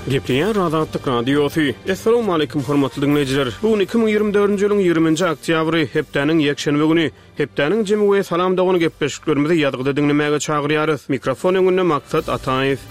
Gepleýär Azatlyk Radiosy. Essalawmaleýkim hormatly diňleýjiler. Bu gün 2024-nji ýylyň 20-nji oktýabry, hepdäniň ýekşenbe güni. Hepdäniň jemi we Salam dogan gepleşiklerimizi ýazgyda diňlemäge çagyrýarys. Mikrofon öňünde Maksat Ataýew.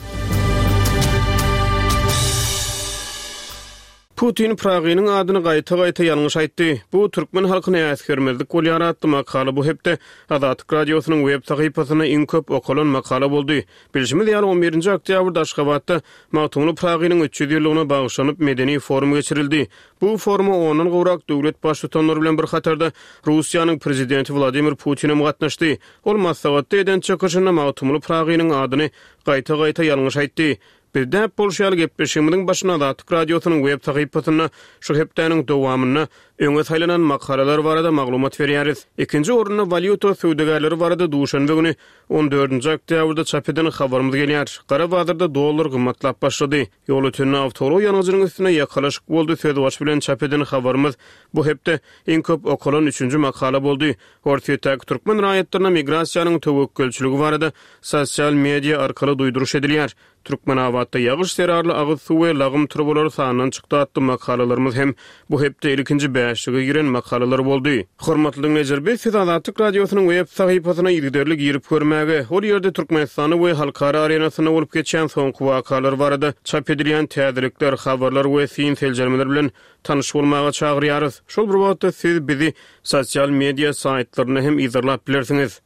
Putin Pragynyň adyny gaýta-gaýta ýalňyş aýtdy. Bu türkmen halkyny äsgermezlik bolýar atly makala bu hepde Azatlyk Radiosynyň web sahypasynda iň köp okalan makala boldy. Bilşimiz ýaly, on birinji oktýabrda Aşgabatda Magtymguly Pragynyň 300 ýyllygyna bagyşlanyp medeni forum geçirildi. Bu foruma ondan gowrak döwlet baştutanlary bilen bir hatarda Russiýanyň Prezidenti Wladimir Putin hem gatnaşdy. Ol maslahatda eden çykyşynda Magtymguly Pragynyň adyny gaýta-gaýta ýalňyş aýtdy. Biz däp bolşy ýaly gepleşigimiziň başynda Azatlyk Radiosynyň web sahypasynda şu hepdäniň dowamynda öňe saýlanan makalalar barada maglumat berýäris. Ikinji orunda walýuta söwdagärleri barada duşenbe güni on dördünji oktýabrda çap eden habarymyz gelýär. Gara bazarda dollar gymmatlap başlady. Ýolötende awtoulag ýangyjynyň üstünde ýakalaşyk boldy sözbaşy bilen çap eden habarymyz bu hepde iň köp okalan üçünji makala boldy. Orsýetdäki türkmen raýatlaryna migrasiýanyň töwekgelçiligi barada sosial media arkaly duýduryş edilýär. Türkmenabatda ýagyş zerarly agyz suw we lagym turbalary sandan çykdy atly makalalarymyz hem bu hepde ilkinji bäşlige giren makalalar boldy. Hormatly diňleýjiler, biz sizi Azatlyk Radiosynyň web sahypasyna yzygiderli girip görmäge, ol ýerde Türkmenistanda we halkara arenasynda bolup geçýän soňky wakalar barada çap edilýän täzelikler, habarlar we syn-seljermeler bilen tanyş bolmaga çagyrýarys. Şol bir wagtda siz bizi sosial media saýtlarynda hem yzarlap bilersiňiz.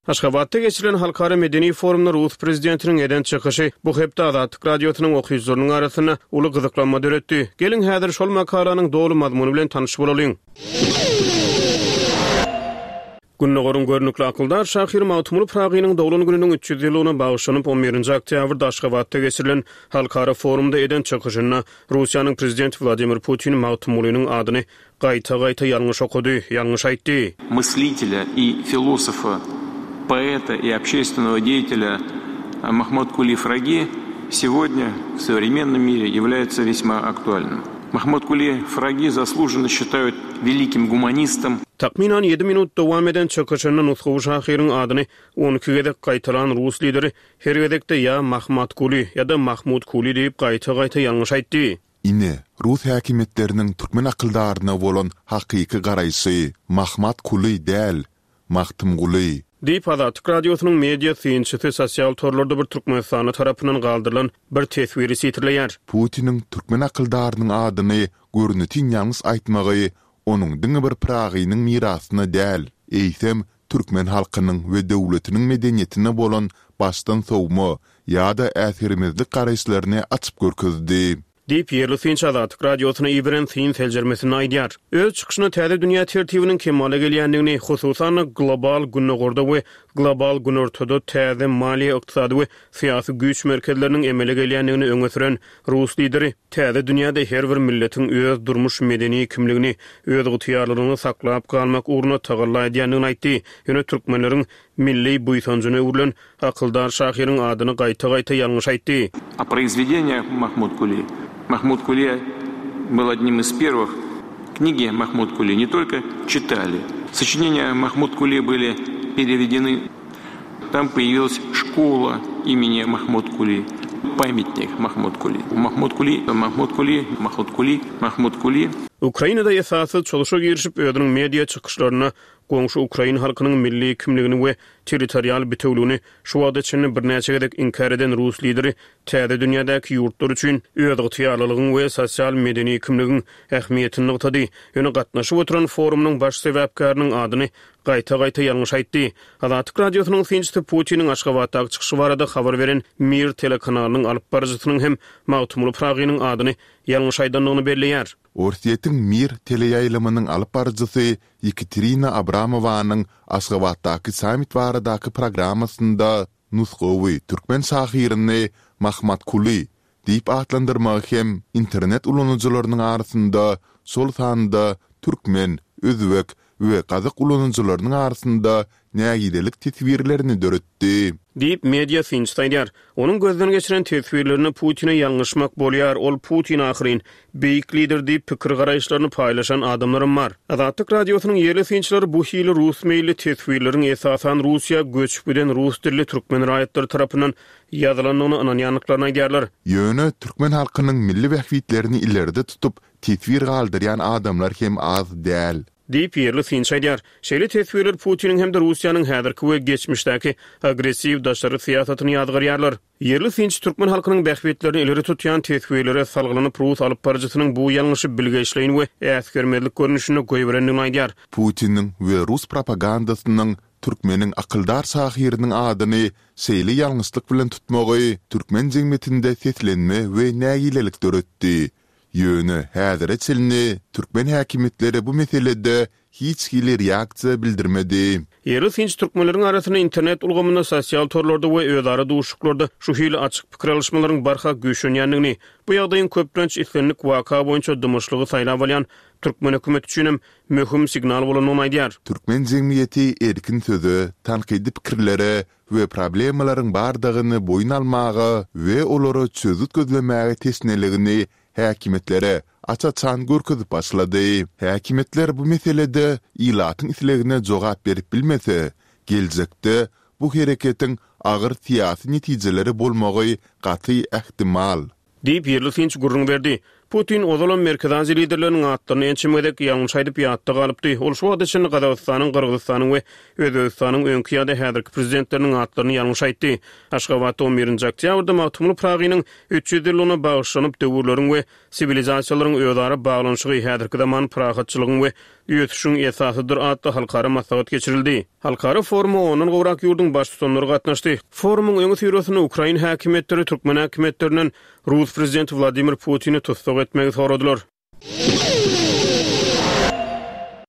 Aşgabatda geçirilen halkara medeni forumda rus prezidentiniň eden çykyşy bu hepde Azatlyk Radiosynyň okyjylarynyň arasynda uly gyzyklanma döretdi. Geliň, häzir şol makalanyň doly mazmuny bilen tanyş bolalyň. Gündogaryň görnükli akyldar şahyry Magtymguly Pyragynyň doglan gününiň 300 ýyllygyna bagyşlanyp, on birinji oktýabrda Aşgabatda geçirilen halkara forumda eden çykyşynda Russiýanyň Prezidenti Wladimir Putin Magtymgulynyň adyny gaýta-gaýta ýalňyş okady, ýalňyş aýtdy. Мыслителя и философа, поэта и общественного деятеля Махмуткули Фраги сегодня в современном мире является весьма актуальным. Махмуткули Фраги заслуженно считают великим гуманистом. Takmynan ýedi minut dowam eden çykyşynda nusgawy şahyryň adyny 12 gezek gaýtalan rus lideri her gezekde ýa Mahmatkuly, ýa-da Mahmutkuli diýip gaýta-gaýta ýalňyş aýtdy. Ine, rus häkimiýetleriniň türkmen akyldaryna bolan hakyky garaýşy, Mahmat Kuly däl, Magtymguly. Diýip, Azatlyk Radiosynyň media synçysy sosial torlarda bir türkmenistanly tarapyndan galdyrylan bir teswiri sitirleýär. Putiniň türkmen akyldarynyň adyny görnetin ýalňyş aýtmagy onuň diňe bir Pyragynyň mirasyna däl, eýsem, türkmen halkynyň we döwletiniň medeniýetine bolan başdan sowma ýa-da äsgermezlik garaýyşlaryny açyp görkezdi. Diýip, ýerli synçy Azatlyk Radiosyna iberen syn-seljermesinde aýdýar. Öz çykyşynda täze dünýä tertibiniň kemala gelýändigini, hususan-da, global Gündogarda we global Günortada täze maliýe-ykdysady we syýasy güýç merkezleriniň emele gelýändigini öňe süren rus lideri täze dünýäde her bir milletiň öz durmuş-medeni kimligini, özygtyýarlylygyny saklap galmak ugrunda tagalla edýändigini aýtdy. Ýöne türkmenleriň milli buýsanjyna öwrülen Akyldar şahyryň adyny gaýta-gaýta ýalňyş aýtdy. О произведениях Махмуд-Кули. Махмуд-Кули был одним из первых. Книги Махмуд-Кули не только читали. Сочинения Махмуд-Кули были переведены. Там появилась школа имени Махмуд-Кули, памятник Махмуд-Кули. Махмуд-Кули, Махмуд-Кули, Махмуд-Кули, Махмуд-Кули. Ukrainada esassyz çozuşa girişip, özüniň media çykyşlarynda goňşy ukrain halkynyň milli kimligini we territorial bitewligini şu wagta çenli birnäçe gezek inkär eden rus lideri täze dünýädäki ýurtlar üçin özygtyýarlylygyň we sosial-medeni kimligiň ähmiýetini nygtady. Ýöne gatnaşyp oturan forumynyň baş sebäpkäriniň adyny gaýta-gaýta ýalňyş aýtdy. Azatlyk Radiosynyň synçysy Putiniň Aşgabatdaky çykyşy barada habar beren Mir telekanalynyň alyp baryjysynyň hem Magtymguly Pyragynyň adyny ýalňyş aýdandygyny belleýär. Orsýetiň Mir teleýaýlymynyň alyp baryjysy Ýekaterina Abramowanyň Aşgabatdaky sammit baradaky programmasynda nusgawy türkmen şahyryny Mahmatkuly diýip atlandyrmagy hem internet ulanyjylarynyň arasynda, şol sanda türkmen, özbek we gazak ulanyjylarynyň arasynda nägilelik teswirlerini döretdi. Diýip, media synçysy aýdýar. Onuň gözden geçiren teswirlerinde Putine ýalňyşmak bolýar, ol Putin ahyryn, beýik lider diýip pikir-garaýyşlaryny paýlaşan adamlaram bar. Azatlyk Radiosynyň ýerli synçylary bu hili rus meýilli teswirleriň esasan Russiýa göçüp giden rus dilli türkmen raýatlary tarapyndan ýazylandygyna ynanýandyklaryny aýdýarlar. Ýöne türkmen halkynyň milli bähbitlerini ileride tutup teswir galdyrýan adamlar hem az däl. Diýip, ýerli synçy aýdýar. Şeýle teswirler Putiniň hem-de Russiýanyň häzirki we geçmişdäki agressiw daşary syýasatyny ýazgarýarlar. Ýerli synçy türkmen halkynyň bähbitlerini ileri tutýan teswirlere salgylanyp, rus alypbaryjysynyň bu ýalňyşy bilgeşleýin we äsgermezlik görnüşinde goýberendigini aýdýar. Putiniň we rus propagandasynyň türkmeniň akyldar şahyrynyň adyny şeýle ýalňyşlyk bilen tutmagy türkmen jemgyýetinde seslenme we nägilelik döretdi. Ýöne häzire çenli türkmen häkimiýetleri bu meselede hiç hili reaksiýa bildirmedi. Ýerli synçy türkmenleriň arasynda internet ulgamynda, sosial torlarda we özara duşuşyklarda şu hili açyk pikir alyşmalaryň barha güýçlenýändigini, bu ýagdaýyň köplenç islendik waka boýunça dymyşlygy saýlap alýan türkmen hökümeti üçinem möhüm signal bolandygyny aýdýar. Türkmen jemgyýeti erkin söze, tankydy pikirlere we problemalaryň bardygyny boýun almaga we olara çözgüt gözlemäge teşneligini häkimiýetlere aç-açan görkezip başlady. Häkimiýetler bu meselede ilatyň islegine jogap berip bilmese, geljekde bu hereketiň agyr syýasy netijeleri bolmagy gaty ähtimal. Diýip, ýerli synçy gürrüň berdi. Putin ozalam Merkezi Aziýa liderleriniň atlaryny ençeme gezek ýalňyş aýdyp ýatda galypdy. Ol şu wagta çenli Gazagystanyň, Gyrgyzystanyň we Özbegistanyň öňki ýa-da häzirki prezidentleriniň atlaryny ýalňyş aýtdy. Aşgabatda on birinji oktýabrda Magtymguly Pyragynyň 300 ýyllygyna bagyşlanyp Döwürleriň we siwilizasiýalaryň özara baglanyşygy häzirki zaman parahatçylygyň we ösüşiň esasydyr atly halkara maslahat geçirildi. Halkara foruma ondan gowrak ýurduň baştutanlary gatnaşdy. Forumyň öňüsyrasynda ukrain häkimiýetleri türkmen häkimiýetlerinden rus prezidenti Wladimir Putini tussag etmegi soradylar.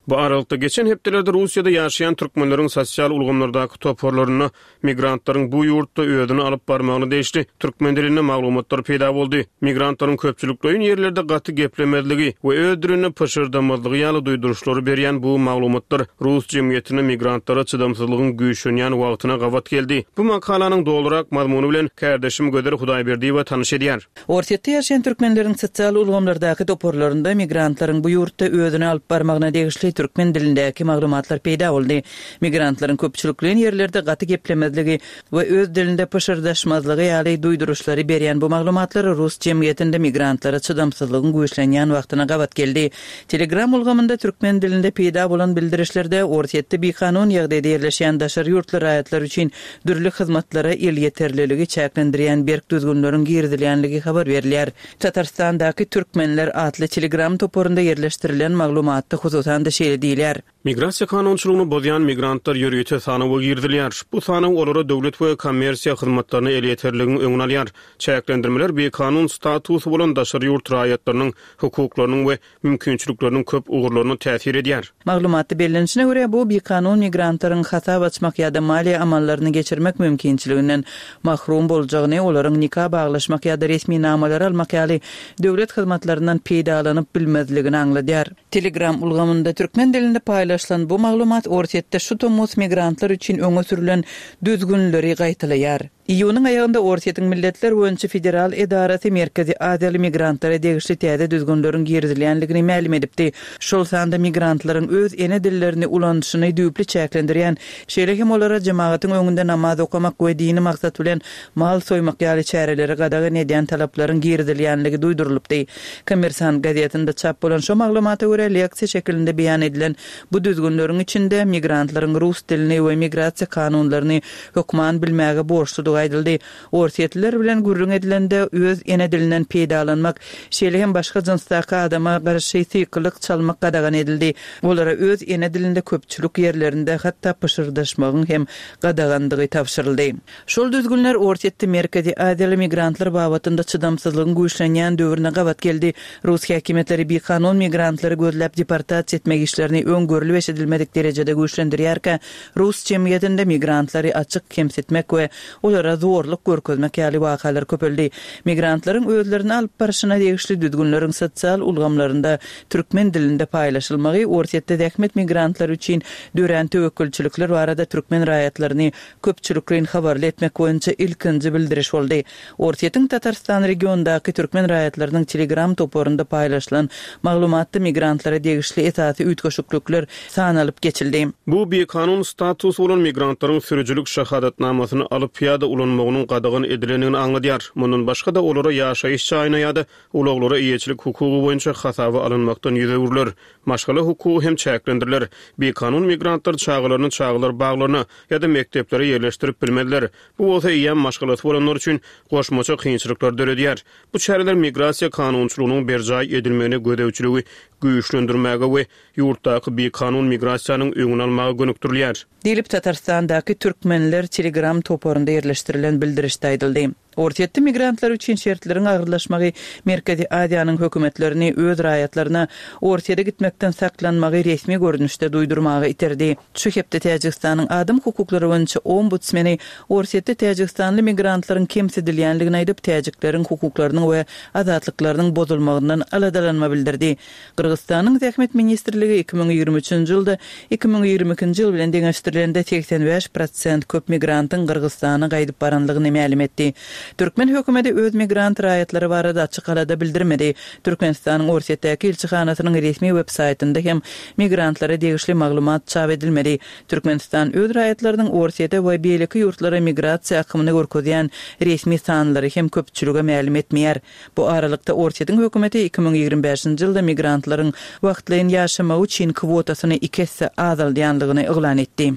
Bu aralykda, geçen hepdelerde Russiýada ýaşaýan türkmenleriň sosial ulgamlardaky toparlarynda Migrantlaryň bu ýurtda özüni alyp barmagyna degişli türkmen dilinde maglumatlar peýda boldy. Migrantlaryň köpçülikleýin ýerlerde gaty geplemezligi we öz dilinde pyşyrdamazlygy ýaly duýduryşlary berýän bu maglumatlar rus jemgyýetinde migrantlara çydamsyzlygyň güýçlenýän wagtyna gabat geldi. Bu makalanyň dolurak mazmuny bilen kärdeşim Gözel Hudaýberdiýewa tanyş edýär. Orsýetde ýaşaýan türkmenleriň sosial ulgamlardaky toparlarynda migrantlaryň bu ýurtda özüni alyp barmagyna degişli türkmen dilindäki maglumatlar peýda boldy. Migrantlaryň köpçülikleýin ýerlerde gaty geplemezligi we öz dilinde pyşyrdaşmazlygy ýaly duýduryşlary berýän bu maglumatlar rus jemgyýetinde migrantlara çydamsyzlygyň güýçlenýän wagtyna gabat geldi. Telegram ulgamynda türkmen dilinde peýda bolan bildirişlerde Orsýetde bikanun ýagdaýda ýerleşýän daşary ýurtly raýatlar üçin dürli hyzmatlara elýeterliligi çäklendirýän berk düzgünleriň girizilýänligi habar berilýär. Tatarystandaky Türkmenler atly Telegram toparynda ýerleşdirilen maglumatda hususan-da şeýle diýilýär. Migrasiýa kanunçylygyny bozýan migrantlar ýörite sanawa girizilýär. Bu sanaw olara döwlet we kommersiýa hyzmatlaryna elýeterligiň öňüni alýar. Çäklendirmeler bikanun statusy bolan daşary ýurt raýatlarynyň hukuklarynyň we mümkinçilikleriniň köp ugurlaryna täsir edýär. Maglumatda bellenişine görä, bu bikanun migrantlaryň hasap açmak ýa-da maliýe amallaryny geçirmek mümkinçiliginden mahrum boljagyny, olaryň nika baglaşmak ýa-da resminamalary almak ýaly döwlet hyzmatlaryndan peýdalanyp bilmezligini aňladýar. Telegram ulgamynda türkmen dilinde paýlaşylan bu maglumat Orsýetde şu tomus migrantlar üçin öňe sürlen düzgünleri gaýtalaýar. Iýunyň aýagynda Orsýetiň Milletler boýunça federal edarasy Merkezi Aziýaly migrantlara degişli täze düzgünleriň girizilýändigini mälim edipdi. Şol sanda migrantlaryň öz ene dillerini ulanyşyny düýpli çäklendirýän, şeýle hem olara jemagatyň öňünde namaz okamak we dini maksat bilen mal soýmak ýaly çäreleri gadagan edýän talaplaryň girizilýänligi duýdurylypdy. Kommersant gazetinde çap bolan şo maglumata görä, leksiýa şekilinde beýan edilen bu düzgünleriň içinde migrantlaryň rus dilini we migrasiýa kanunlaryny hökman bilmäge borçludygy aýdyldy. Orsýetliler bilen gürrüň edilende öz ene dilinden peýdalanmak, şeýle hem başga jynsdaky adama garşy sykylyk çalmak gadagan edildi. Olara öz ene dilinde köpçülik ýerlerinde hatda pyşyrdaşmagyň hem gadagandygy tabşyryldy. Şol düzgünler Orsýetde Merkezi Aziýaly migrantlar babatynda çydamsyzlygyň güýçlenýän döwrüne gabat geldi. Rus häkimiýetleri bikanun migrantlary gözläp deportasiýa etmek işlerini öň görlüp-eşidilmedik derejede güýçlendirýärkä, rus jemgyýetinde migrantlary açyk kemsitmek we olara. migrantlara zorluk görkezmek ýaly wakalar köpeldi. Migrantlaryň özlerini alyp barşyna degişli düzgünleriň sosial ulgamlarynda türkmen dilinde paýlaşylmagy Orsýetde zähmet migrantlary üçin dörän töwekgelçilikler barada türkmen raýatlaryny köpçülikleýin habarly etmek boýunça ilkinji bildiriş boldy. Orsýetiň Tatarystan regionyndaky türkmen raýatlarynyň Telegram toparynda paýlaşylan maglumatda migrantlara degişli esasy üýtgeşiklikler sanalyp geçildi. Bu bikanun statusy bolan migrantlaryň sürüjilik şahadatnamasyny alyp ýa-da ulanmagynyň gadagan edilendigini aňladýar. Mundan başga-da, olara ýaşaýyş jaýyna ýa-da ulaglara eýeçilik hukugy boýunça hasaba alynmakdan ýüz öwrüler. Maşgala hukugy hem çäklendiriler. Bikanun migrantlar çagalaryny çagalar baglaryna ýa-da mekdeplere ýerleşdirip bilmezler. Bu bolsa eýýäm maşgalasy bolanlar üçin goşmaça kynçylyklary döredýär. Bu çäreler migrasiýa kanunçylygynyň berjaý edilmegine gözegçiligi güýçlendirmäge we ýurtdaky bikanun migrasiýanyň öňüni almaga gönükdirilýär. Diýlip, Tatarystandaky Türkmenler Telegram toparynda ýerleşdirilen bildirişde aýdyldy. Orsýetde migrantlar üçin şertleriň agyrlaşmagy Merkezi Aziýanyň hökümetlerini öz raýatlaryna Orsýede gitmekden saklanmagy resmi görnüşde duýdurmaga iterdi. Şu hepde Täjigistanyň adam hukuklary boýunça ombudsmeni Orsýetde täjigistanly migrantlaryň kemsidilýänligini aýdyp, täjikleriň hukuklarynyň we azatlyklarynyň bozulmagyndan aladalanma bildirdi. Gyrgyzystanyň Zähmet ministrligi 2023-nji ýylda 2022-nji ýyl bilen deňeşdirilende 85 prosent köp migrantyň Gyrgyzystana gaýdyp baranlygyny mälim etdi. Türkmen hökümeti öz migrant raýatlary barada açyk alada bildirmedi. Türkmenistanyň Orsýetdäki ilçihanasynyň resmi web saýtynda hem migrantlara degişli maglumat çap edilmedi. Türkmenistan öz raýatlarynyň Orsýete we beýleki ýurtlara migrasiýa akymyny görkezýän resmi sanlary hem köpçülige mälim etmeýär. Bu aralykda, Orsýetiň hökümeti 2025-nji ýylda migrantlaryň wagtlaýyn ýaşamagy üçin kwotasyny iki esse azaldýanlygyny yglan etdi.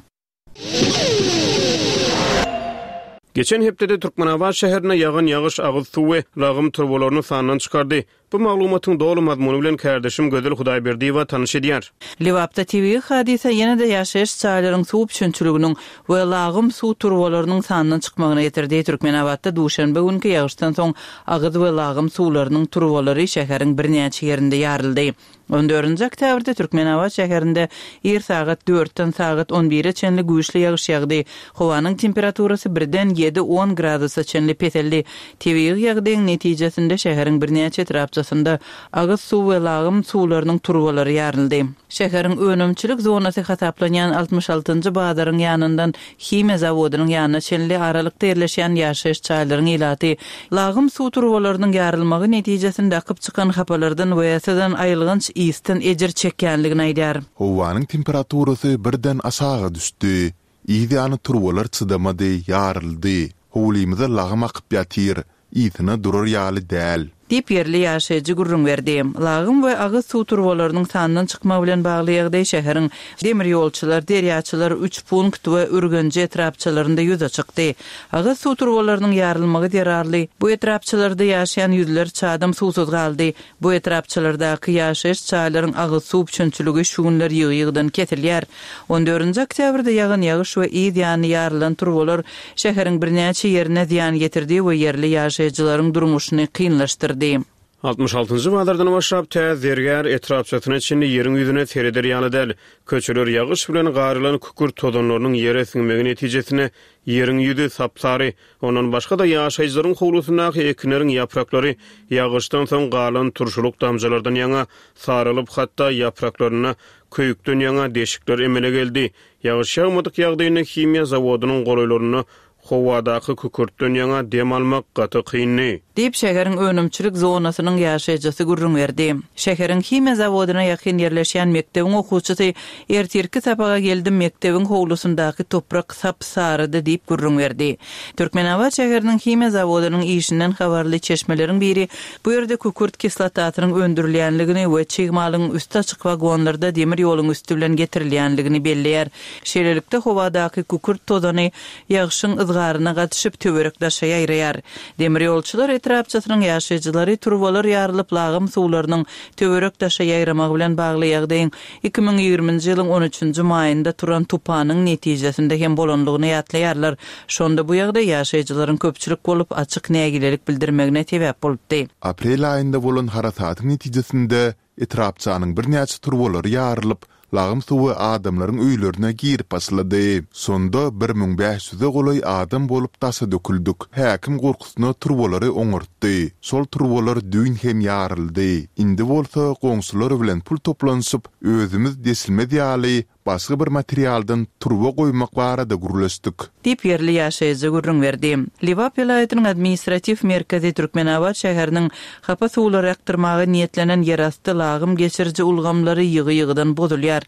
Geçen hepdede Türkmenabat şäherinde ýagan ýagyş agyz suw we lagym turbalaryny sandan çykardy. Bu maglumatyň doly mazmuny bilen kärdeşim Gözel Hudaýberdiýewa tanyş edýär. Lebapda tebigy hadysa ýene-de ýaşaýyş jaýlaryň suw üpjünçiliginiň we lagym suw turbalarynyň sandan çykmagyna getirdi. Türkmenabatda duşenbe günki ýagyşdan soň agyz we lagym suwlarynyň turbalary şäheriň birnäçe ýerinde ýaryldy. On dördünji oktýabrda Türkmenabat şäherinde ir sagat dörtden sagat on bire çenli güýçli ýagyş ýagdy. Howanyň temperaturasy birden ýedi-on gradusa çenli peseldi. Tebigy ýagdaýyň netijesinde şäheriň birnäçe etrapçasynda agyz suw we lagym suwlarynyň turbalary ýaryldy. Şäheriň önümçilik zonasy hasaplanýan 66-njy bazaryň ýanyndan himiýa zawodynyň ýanyna çenli aralykda ýerleşýän ýaşaýyş jaýlaryň ilaty lagym suw turbalarynyň ýarylmagy netijesinde akyp çykan hapalardan we syzan aýylganç ysdan ejir çekýänligini aýdýar. Howanyň temperaturasy birden aşaga düşdi. Yz ýany turbalar çydamady, ýaryldy. Howlymyza lagym akyp ýatyr. Ysyna durar ýaly däl. Diýip, ýerli ýaşaýjy gürrüň berdi. Lagym we agyz suw turbalarynyň sandan çykmagy bilen bagly ýagdaý şäheriň Demirýolçylar, Derýaçylar, Üçpunkt we Ürgenji etrapçalarynda ýüze çykdy. Agyz suw turbalarynyň ýarylmagy zerarly, bu etrapçalarda ýaşaýan ýüzlerçe adam suwsuz galdy. Bu etrapçalardaky ýaşaýyş jaýlaryň agyz suw üpjünçiligi şu günler ýygy-ýygydan kesilýär. On dördünji oktýabrda ýagan ýagyş we yz ýany ýarylan turbalar şäheriň birnäçe ýerine zyýan ýetirdi we ýerli ýaşaýjylaryň durmuşyny kynlaşdyrdy. 66-njy bazardan başlap tä Zergär etrapçasyna çenli ýeriň ýüzüne sereder ýaly däl. Köçeler ýagyş bilen garylan kükürt tozanlarynyň ýere siňmegi netijesinde ýeriň ýüzi sap-sary. Ondan başga-da ýaşaýjylaryň howlusyndaky ekinleriň ýapraklary ýagyşdan soň galan turşulyk damjalardan ýaňa saralyp, hatda ýapraklarynda köýükden ýaňa deşikler emele geldi. Ýagyş ýagmadyk ýagdaýynda himiýa zawodynyň golaýlarynda howadaky kükürtden ýaňa dem almak gaty kyndy. Diýip, şäheriň önümçilik zonasynyň ýaşaýjysy gürrüň berdi. Şäheriň himiýa zawodyna ýakyn ýerleşýän mekdebiň okuwçysy, Ertirki sapaga geldim, mekdebiň howlusyndaky toprak sap-sarydy diýip gürrüň berdi. Türkmenabat şäheriniň himiýa zawodynyň işinden habarly çeşmeleriň biri bu ýerde kükürt kislotasynyň öndürilýänligini we çig malyň üsti açyk wagonlarda demir ýoluň üsti bilen getirilýänligini belleýär. Şeýlelikde, howadaky kükürt tozany ýagşyň yzgaryna gatyşyp, töwerek-daşa ýaýraýar. Demirýolçular etrapçasynyň ýaşaýjylary turbalar ýarylyp, lagym suwlarynyň töwerek-daşa ýaýramagy bilen bagly ýagdaýyň 2020-nji ýylyň on üçünji maýynda turan tupanyň netijesinde hem bolanlygyny ýatlaýarlar. Şonda bu ýagdaý ýaşaýjylaryň köpçülik bolup, açyk nägilelik bildirmegine sebäp bolupdy. Aprel aýynda bolan harasatyň netijesinde etrapçanyň birnäçe turbalary ýarylyp, Lagym suwy adamlaryň öýlerine girip başlady. Şonda 1500-e golaý adam bolup daşa döküldik. Häkim gorkusyna turbalary oňartdy. Şol turbalar düýn hem ýaryldy. Indi bolsa goňşular bilen pul toplanyşyp, özümiz deşilmez ýaly başga bir materialdan turba goýmak barada gürleşdik. Diýip, ýerli ýaşaýjy gürrüň berdi. Lebap welaýatynyň administratiw merkezi Türkmenabat şäheriniň hapa suwlary akdyrmaga niýetlenen ýerasty lagym geçiriji ulgamlary ýygy-ýygydan bozulýar.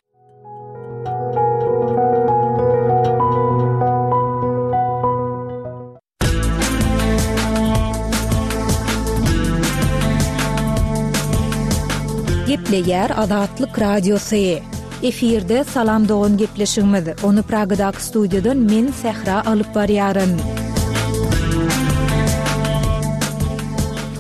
Gepleýär Azatlyk Radiosy. Efirde Salam dogan gepleşigimiz. Ony Pragadaky studiýadan men Sähra alyp barýaryn.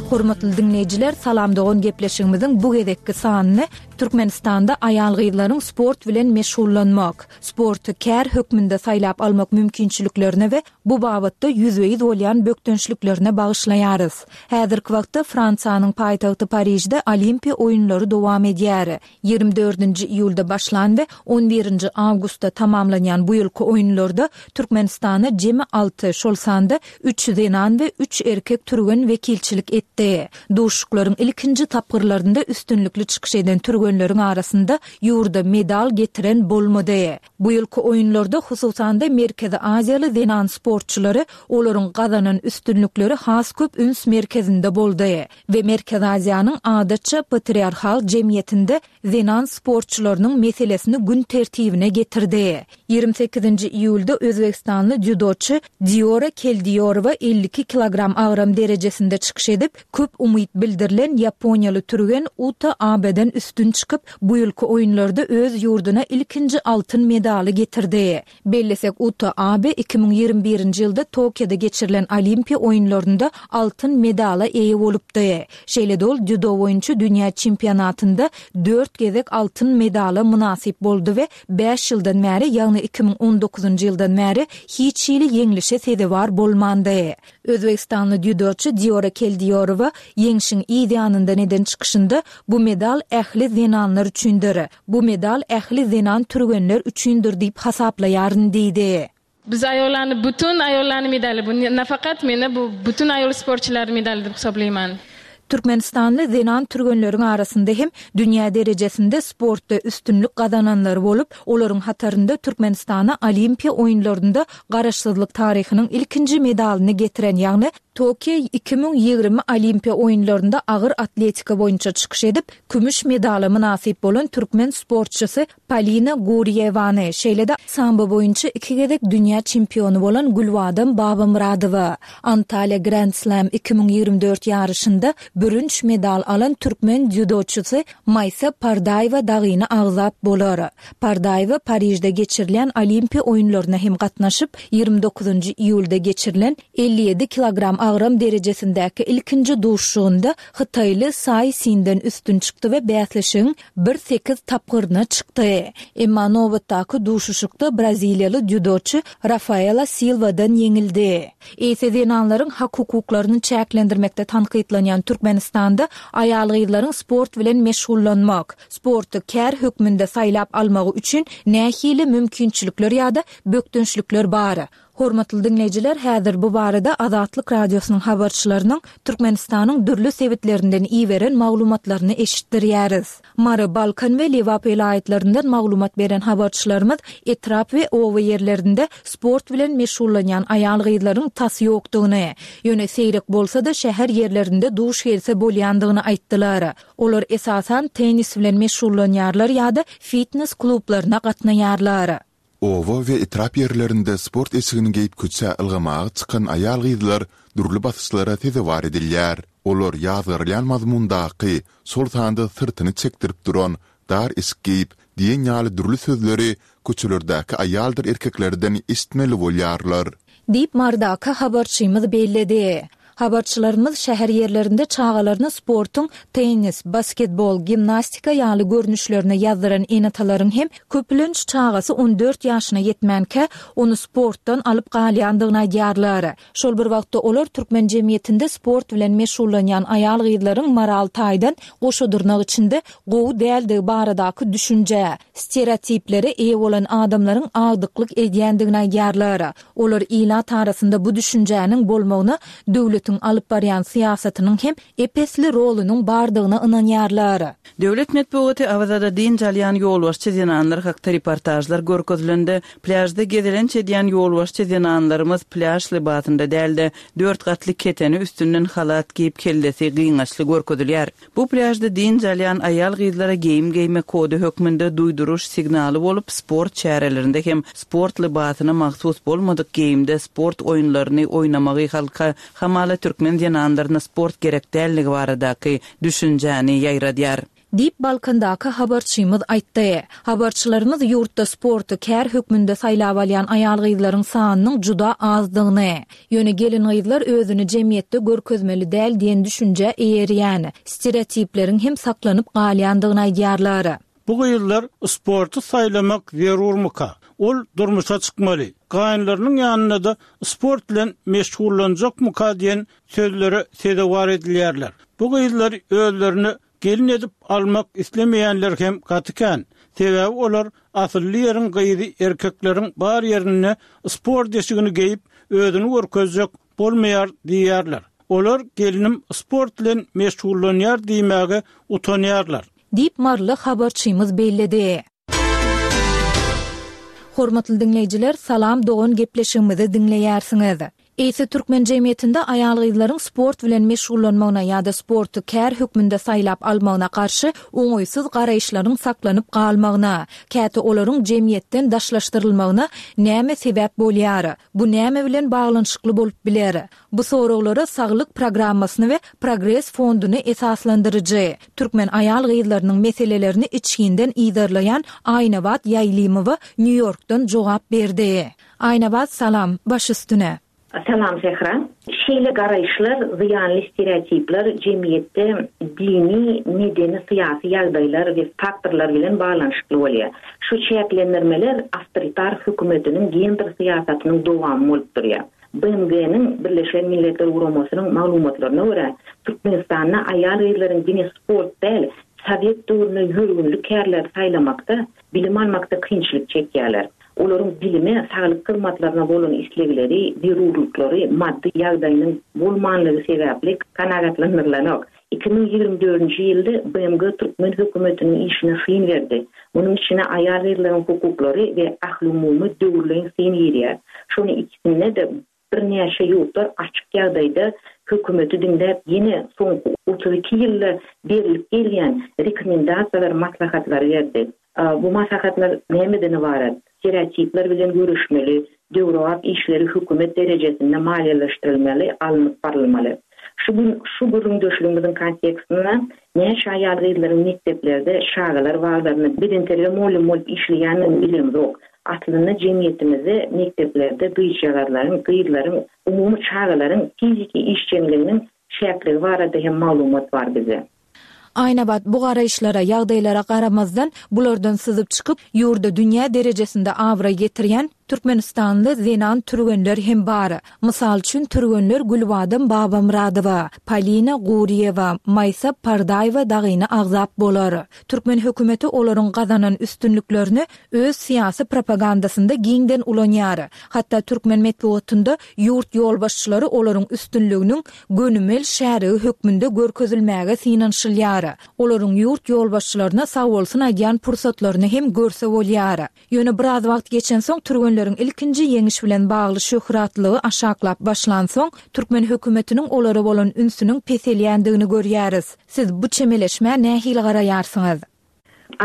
Hormatly diňleýjiler, Salam dogan gepleşigimiziň bu gezekki sanyny Türkmenistanda aýal-gyzlaryň sport bilen meşgullanmak, sporty kär hökmünde saýlap almak mümkinçiliklerine we bu babatda ýüzbe-ýüz bolýan bökdençliklerine bagyşlaýarys. Häzirki wagtda Fransiýanyň paýtagty Parižde Olimpiýa oýunlary dowam edýär. Ýigrimi dördünji iýulda başlan we on birinji awgustda tamamlanýan bu ýylky oýunlarda Türkmenistana jemi alty, şol sanda üç zenan we üç erkek türgen wekilçilik etdi. Duşuşyklaryň ilkinji tapgyrlarynda üstünlikli çykyş eden türgenleriň arasynda ýurda medal getiren bolmady. Bu ýylky oýunlarda, hususan-da, Merkezi Aziýaly zenan sportçylary, olaryň gazanan üstünlikleri has köp üns merkezinde boldy we Merkezi Aziýanyň adatça patriarhal jemgyýetinde zenan sportçylarynyň meselesini gün tertibine getirdi. Ýigrimi sekizinji iýulda özbegistanly dzýudoçy Diora Keldiýorowa 52 kilogram agram derejesinde çykyş edip, köp umyt bildirilen ýaponiýaly türgen Uta Abeden üstün çykyp, bu ýylky oýunlarda öz ýurduna ilkinji altyn medaly getirdi. Bellesek, Uta Abe 2021-nji ýylda Tokioda geçirilen Olimpiýa oýunlarynda altyn medala eýe bolupdy. Şeýle-de ol dzýudo boýunça dünýä çempionatynda dört gezek altyn medala mynasyp boldy we bäş ýyldan bäri, ýagny 2019-njy ýyldan bäri hiç hili ýeňlişe sezewar bolmandy. Özbegistanly dzýudoçy Diora Keldiýorowa ýeňşiň yz ýanyndan eden çykyşynda, Bu medal ähli zenanlar üçindir. Bu medal ähli zenan türgenler üçindir diýip hasaplaýaryn diýdi. Biz aýollany bütün aýollany medaly bu nafakat meni bu bütün aýol sportçylary medaly dip hisoblaýman. Türkmenistanly zenan türgenleriň arasynda hem dünýä derejesinde sportda üstünlik gazananlary bolup, olaryň hatarynda Türkmenistana Olimpiýa oýunlarynda Garaşsyzlyk taryhynyň ilkinji medalyny getiren, ýagny Tokio 2020 Olimpiýa oýunlarynda agyr atletika boýunça çykyş edip, kümüş medala mynasyp bolan türkmen sportçysy Polina Gurýewany, şeýle-de sambo boýunça iki gezek dünýä çempiony bolan Gülbadam Babamyradowa, Antalýa Grand Slam 2024 ýaryşynda bürünç medal alan türkmen dzýudoçysy Maýsa Pardaýewa dagyny agzap bolar. Pardaýewa Parižde geçirilýän Olimpiýa oýunlaryna hem gatnaşyp, ýigrimi dokuzynjy iýulda geçirilen 57 kilogram agram derejesindäki ilkinji duşuşygynda hytaýly Saý Sinden üstün çykdy we bäsleşigiň bir sekiz tapgyryna çykdy. Emma nobatdaky duşuşykda braziliýaly dzýudoçy Rafaela Silwadan ýeňildi. Eýse zenanlaryň hak-hukuklaryny çäklendirmekde tankytlanýan Türkmenistanda aýal-gyzlaryň sport bilen meşgullanmak, sporty kär hökmünde saýlap almagy üçin nähili mümkinçilikler ýa-da bökdençlikler bar? Hormatly diňleýjiler, häzir bu barada Azatlyk Radiosynyň habarçylarynyň Türkmenistanyň dürli sebitlerinden iberen maglumatlaryny eşitdirýäris. Mary, Balkan we Lebap welaýatlaryndan maglumat beren habarçylarymyz etrap we oba ýerlerinde sport bilen meşgullanýan aýal-gyzlaryň tas ýokdugyny, ýöne seýrek bolsa-da şäher ýerlerinde duş gelse bolýandygyny aýtdylar. Olar esasan tennis bilen meşgullanýarlar ýa-da fitnes klublaryna gatnaýarlar. Oba we etrap ýerlerinde sport eşigini geýip köçä ylgamaga çykan aýal-gyzlar dürli basyşlara sezewar edilýär. Olar ýazgarylýan mazmundaky, şol sanda syrtyny çekdirip duran, dar eşik geýip diýen ýaly dürli sözleri köçelerdäki aýaldyr erkeklerden eşitmeli bolýarlar. Diýip, Marydaky habarçymyz belledi. Habarçylarymyz şäher ýerlerinde çagalaryny sportuň tennis, basketbol, gimnastika ýaly görnüşlerine ýazdyran ene-atalaryň hem köplenç çagasy 14 ýaşyna ýetmänkä, ony sportdan alyp galýandygyny aýdýarlar. Şol bir wagtda olar türkmen jemgyýetinde sport bilen meşgullanýan aýal-gyzlaryň moral taýdan goşa dyrnak içinde gowy däldigi baradaky düşünjä, stereotiplere eýe bolan adamlaryň agdyklyk edýändigini aýdýarlar. Olar ilat arasynda bu düşünjäniň bolmagyna döwletiň alyp barýan syýasatynyň hem ep-esli rolunyň bardygyna ynanýarlar. Döwlet metbugaty Awazada dynç alýan ýolbaşçy zenanlar hakda reportažlar görkezilende, plýažda gezelenç edýän ýolbaşçy zenanlarymyz plýaž lybasynda däl-de, dört gatly keteni üstünden halat geýip kellesi gyňaçly görkezilýär. Bu plýažda dynç alýan aýal-gyzlara geýim geýmek kody hökmünde duýduryş signaly bolup, sport çärelerinde hem sport lybasyna mahsus bolmadyk geýimde sport oýunlaryny oýnamagy halka hamala türkmen zenanlaryna sport gerek dälligi baradaky düşünjäni ýaýradýar. Diýip, Balkandaky habarçymyz aýtdy. Habarçylarymyz ýurtda sporty kär hökmünde saýlap alýan aýal-gyzlaryň sanynyň juda azdygyny, ýöne gelin-gyzlar özüni jemgyýetde görkezmeli däl diýen düşünjä eýerýän, stereotipleriň hem saklanyp galýandygyny aýdýarlar. Bu gyzlar sporty saýlamak zerurmyka? Ol durmuşa çykmaly, gaýynlarynyň ýanynda-da sport bilen meşgullanjakmyka diýen sözlere sezewar edilýärler. Bu gyzlary özlerine Gelin edip almak islemeýänler hem gaty kän. Sebäbi olar asylly ýeriň gyzy erkekleriň bar ýerinde sport eşigini geýip özüni görkezjek bolmaýar diýýärler. Olar gelnim sport bilen meşgullanýar diýmäge utanýarlar. Diýip, maryly habarçymyz belledi. Hormatly diňleýjiler, Salam dogan gepleşigimizi diňleýärsiňiz. Eýse türkmen jemgyýetinde aýal-gyzlaryň sport bilen meşgullanmagyna ýa-da sporty kär hökmünde saýlap almagyna garşy oňaýsyz garaýyşlaryň saklanyp galmagyna, käte olaryň jemgyýetden daşlaşdyrylmagyna näme sebäp bolýar? Bu näme bilen baglanyşykly bolup biler? Bu soraglara Saglyk programmasyny we Progres fonduny esaslandyryjy, türkmen aýal-gyzlarynyň meselelerini içginden yzarlaýan Aýnabat Ýaýlymowa Nýu-Ýorkdan jogap berdi. Aýnabat salam, baş üstüne. Salam Sähra. Şeýle garaýyşlar, zyýanly stereotipler jemgyýetde dini, medeni, syýasy ýagdaýlar we faktorlar bilen baglanyşykly bolýar. Şu çäklendirmeler awtoritar hökümetiniň gender syýasatynyň dowamy bolup durýar. BMG-niň, Birleşen Milletler Guramasynyň, maglumatlaryna görä, Türkmenistanda aýal-gyzlaryň diňe sport däl, sowet döwründe ýörgünli kärleri saýlamakda, bilim almakda kynçylyk çekýärler. Olaryň bilime, saglyk hyzmatlaryna bolan islegleri, zerurlyklary maddy ýagdaýynyň bolmanlygy sebäpli kanagatlandyrylanok. 2024-nji ýylda BMG türkmen hökümetiniň işine syn berdi. Munuň içine aýal-gyzlaryň hukuklary we ahlumumy döwürleýin syn girýär. Şonuň ikisinde-de birnäçe ýurtlar açyk ýagdaýda hökümeti diňläp ýene soňky 32 ýylda berlip gelýän rekomendasiýalary, maslahatlary berdi. Bu maslahatlar nämeden ybarat? Stereotipler bilen göreşmeli, döwrebap işleri hökümet derejesinde maliýeleşdirilmeli, alnyp barylmaly. Şu gün şu gürrüňdeşligimiziň kontekstinde näçe aýal-gyzlaryň mekdeplerde, çagalar baglarynda bedenterbiýe mugallymy bolup işleýändigini bilemzok. Aslynda jemgyýetimizde mekdeplerde gyzjagazlaryň, gyzlaryň, umumy çagalaryň fiziki işjeňliginiň çäkligi barada hem maglumat bar bizde. Aýnabat bu garaýyşlara, ýagdaýlara garamazdan, bulardan syzyp çykyp, ýurda dünýä derejesinde abraý getirýän türkmenistanly zenan türgenler hem bar. Mysal üçin, türgenler Gülbadam Babamyradowa, Polina Gurýewa, Maýsa Pardaýewa dagyny agzap bolar. Türkmen hökümeti olaryň gazanan üstünliklerini öz syýasy propagandasynda giňden ulanýar. Hatda türkmen metbugatynda ýurt ýolbaşçylary olaryň üstünliginiň gönümel şärigi hökmünde görkezilmäge synanyşylýar. Olaryň ýurt ýolbaşçylaryna sagbolsun aýdýan pursatlaryny hem görse bolýar. Ýöne biraz wagt geçensoň türgenleriň ilkinji ýeňiş bilen bagly şöhratlygy aşaklap başlansoň, türkmen hökümetiniň olara bolan ünsüniň peselýändigini görýäris. Siz bu çemeleşmä nähili garaýarsyňyz?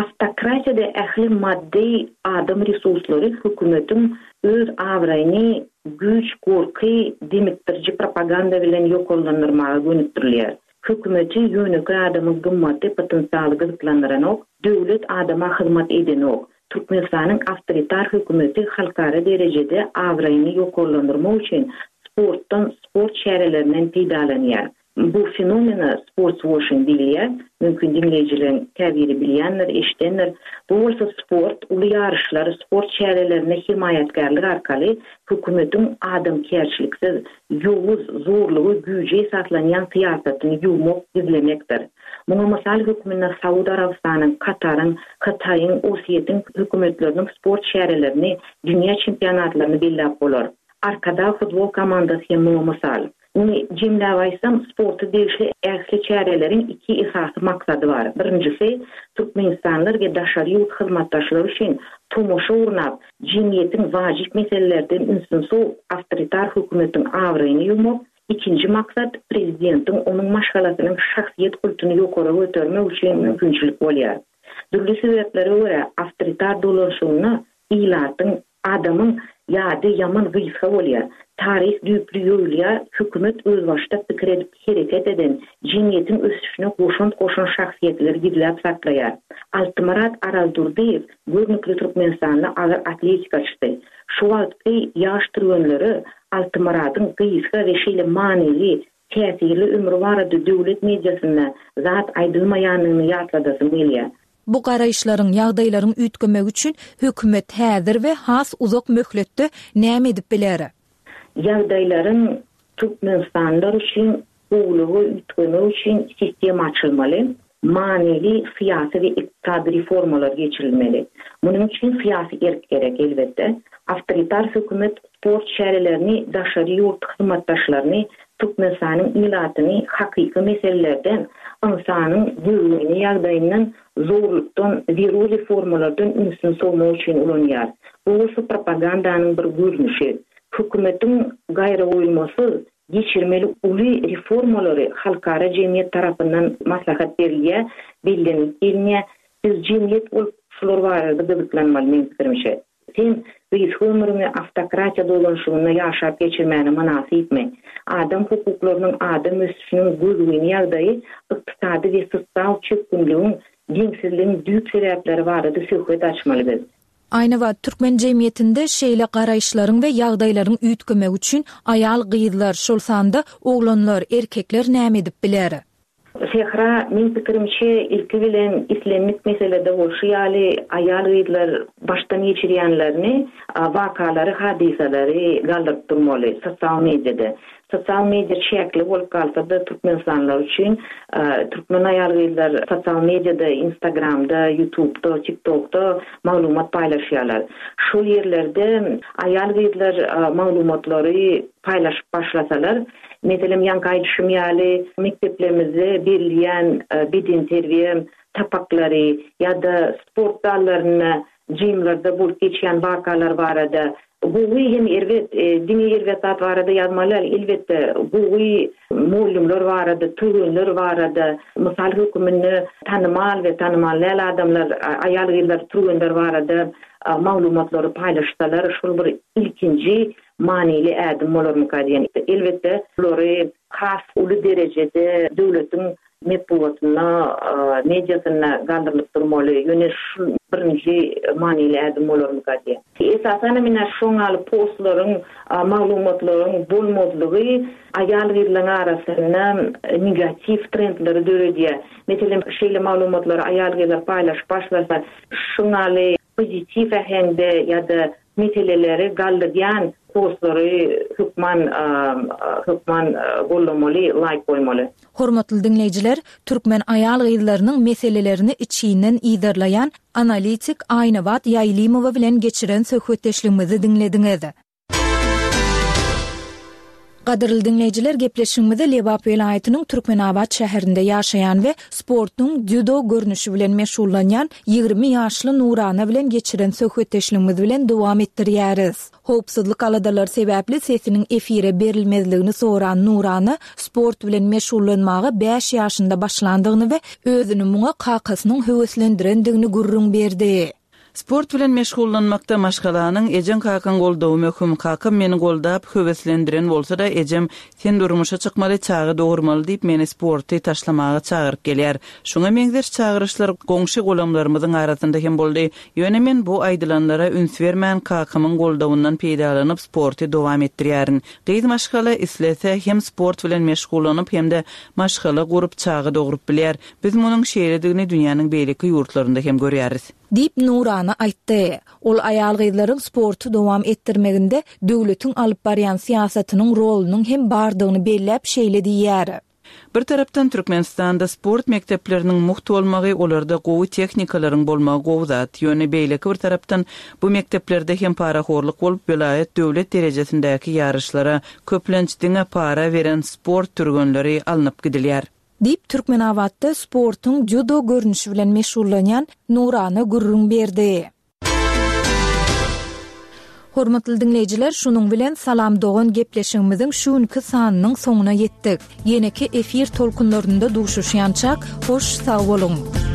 Awtokratiýada ähli maddy adam resurslary hökümetiň öz abraýyny güýç, gorky, demikdiriji propaganda bilen ýokarlandyrmaga gönükdirilýär. Hökümeti ýönekeý adamyň gymmaty, potensialy gyzyklandyranok, döwlet adama hyzmat edenok. Türkmenistanyň awtoritar hökümeti halkara derejede abraýyny ýokarlandyrmak üçin. sportdan, sport çärelerinden peýdalanýar. Bu fenomene sportswoşing diýilýär. Mümkin diňleýjileriň käbiri bilýändir, eşidendir. Bu bolsa sport, uly ýaryşlar, sport çärelerine hemaýatkärlik arkaly hökümetiň adamkärçiliksiz, ýowuz, zorluga, güýje esaslanýan syýasatyny ýuwmak, gizlemekdir. Muňa mysal hökmünde Saud Arabystanyň, Kataryň, Hytaýyň, Orsýetiň hökümetleriniň sport çärelerini, dünýä çempionatlaryny belläp bolar. Arkadag futbol komandasy hem muňa mysal. Muny jemläp aýtsam, sporta degişli ähli çäreleriň iki esasy maksady bar. Birinjisi, türkmenistanlylar we daşary ýurt hyzmatdaşlary üçin tomaşa gurnap, jemgyýetiň wajyp meselelerden ünsüni sowup, awtoritar hökümetiň abraýyny ýuwmak, ikinji maksat, prezidentiň, onuň maşgalasynyň şahsyýet kultuny ýokary götermek üçin mümkinçilik bolýar. Dürli sebäplere görä, awtoritar dolanyşygynda ilatyň Adamyň ýady ýaman gysga bolýar. Taryh düýpli ýoýulýar, hökümet özbaşdak pikir edip hereket eden, jemgyýetiň ösüşine goşant goşan şahsyýetleri gizläp saklaýar. Altymyrat Araldurdyýew görnükli türkmenistanly agyr atletikaçysy. Şu wagtky ýaş türgenlere Altymyradyň gysga we şeýle manyly, täsirli ömri barada döwlet mediasynda zat aýdylmaýanyny ýatladasym gelýär. Bu garaýyşlaryň, ýagdaýlaryň üýtgemegi üçin hökümet häzir we has uzak möhletde näme edip biler? Ýagdaýlaryň türkmenistanlylar üçin gowulyga üýtgemegi üçin sistema açylmaly, manyly syýasy we ykdysady reformalar geçirilmeli. Munuň üçin syýasy erk gerek, elbetde. Awtoritar hökümet sport çärelerini daşary ýurt hyzmatdaşlaryny, Türkmenistanyň ilatyny hakyky meselelerden, ynsanyň gözgyny ýagdaýyndan, zorlukdan, zerur reformalardan ünsüni sowmak üçin ulanýar. Bu bolsa propagandanyň bir görnüşi. Hökümetiň gaýragoýulmasyz geçirmeli uly reformalary halkara jemgyýet tarapyndan maslahat berilýär, bellenilip gelinýär. Biz jemgyýet bolup şular barada gyzyklanmaly meň pikirimçe. Sen gysga ömrüňi awtokratiýa dolanyşygynda ýaşap geçirmäne mynasypmy? Adam hukuklarynyň, adam ösüşiniň gözgyny ýagdaýy ykdysady we sosial çökgünligiň, deňsizligiň düýp sebäpleri barada söhbet açmaly biz. Aýnabat, türkmen jemgyýetinde şeýle garaýyşlaryň we ýagdaýlaryň üýtgemegi üçin aýal-gyzlar, şol sanda oglanlar, erkekler näme edip biler? Sähra, meň pikirimçe, ilki bilen islendik meselede bolşy ýaly, aýal-gyzlar başdan geçirýänlerini, wakalary, hadysalary galdyryp durmaly sosial mediada. Sosial media çäkli bolup galsa-da, türkmenistanlylar üçin türkmen aýal-gyzlar sosial mediada, Instagramda, Ýutubda, TikTokda maglumat paýlaşýarlar. Şol ýerlerde aýal-gyzlar maglumatlary paýlaşyp başlasalar, Meselem, ýaňky aýdyşym ýaly, mekdeplerimizde berilýän bedenterbiýe sapaklary ýa-da sport zallarynda, jimlerde bolup geçýän wakalar barada gowy hem erbet, diňe erbet zat barada ýazmaly däl, elbetde, gowy mugallymlar barada, türgenler barada, mysal höküminde tanymal we tanymal däl adamlar, aýal-gyzlar, türgenler barada maglumatlary paýlaşsalar, şol bir ilkinji manyly ädim bolarmyka diýen. Elbetde, bulary has uly derejede döwletiň metbugatynda, mediasynda galdyrylyp durmaly. Ýöne şu birinji manyly ädim bolarmyka diýen. Esasanam ine şoň ýaly postlaryň, maglumatlaryň bolmazlygy aýal-gyzlaryň arasynda negatiw trendleri döredýär. Meselem, şeýle maglumatlary aýal-gyzlar paýlaşyp başlasa, şuň ýaly pozitiw äheňde ýa-da Meseleleri galdyrýan postlary hökman hökman gollamaly laýk goýmaly. Hormatly diňleýjiler, türkmen aýal-gyzlarynyň meselelerini içginden yzarlaýan analitik Aýnabat Ýaýlymowa bilen geçiren söhbetdeşligimizi diňlediňiz. Gadyrly diňleýjiler gepleşigimizi Lebap welaýatynyň Türkmenabat şäherinde ýaşaýan we sportuň dzýudo görnüşi bilen meşgullanýan 20 ýaşly Nurana bilen geçiren söhbetdeşligimiz bilen dowam etdirýäris. Howpsuzlyk aladalary sebäpli sesiniň efire berilmezligini soran Nurana sport bilen meşgullanmaga bäş ýaşynda başlandygyny we özüni muňa kakasynyň höweslendirendigini gürrüň berdi. Sport bilen meşgullanmakda maşgalanyň, ejeň-kakaň goldawy möhüm. Kakam meni goldap, höweslendiren bolsa-da, ejem, Sen durmuşa çykmaly, çaga dogurmaly diýip, meni sporty taşlamaga çagyryp gelýär. Şuňa meňzeş çagyryşlar goňşy-golamlarymyzyň arasynda hem boldy. Ýöne men bu aýdylanlara üns bermän, kakamyň goldawyndan peýdalanyp, sporty dowam etdirýärin. Gyz maşgala islese, hem sport bilen meşgullanyp, hem-de maşgala gurup, çaga dogrup bilýär. Biz munuň şeýledigini dünýäniň beýleki ýurtlarynda hem görýäris. Diýip, Nurana aýtdy. Ol aýal-gyzlaryň sporty dowam etdirmeginde döwletiň alyp barýan syýasatynyň rolunyň hem bardygyny belläp şeýle diýýär. Bir tarapdan Türkmenistanda sport mekdepleriniň mugt bolmagy, olarda gowy tehnikalaryň bolmagy gowy zat. Ýöne beýleki bir tarapdan bu mekdeplerde hem parahorluk bolup, welaýat, döwlet derejesindäki ýaryşlara köplenç diňe para beren sport türgenleri alnyp gidilýär. Diýip, Türkmenabatda sportuň dzýudo görnüşi bilen meşgullanýan Nurana gürrüň berdi. Hormatly diňleýjiler, şunuň bilen Salam dogan gepleşigimiziň şu günki sanynyň soňuna ýetdik. Ýeneki efir tolkunlarynda duşuşýançak, hoş sag boluň!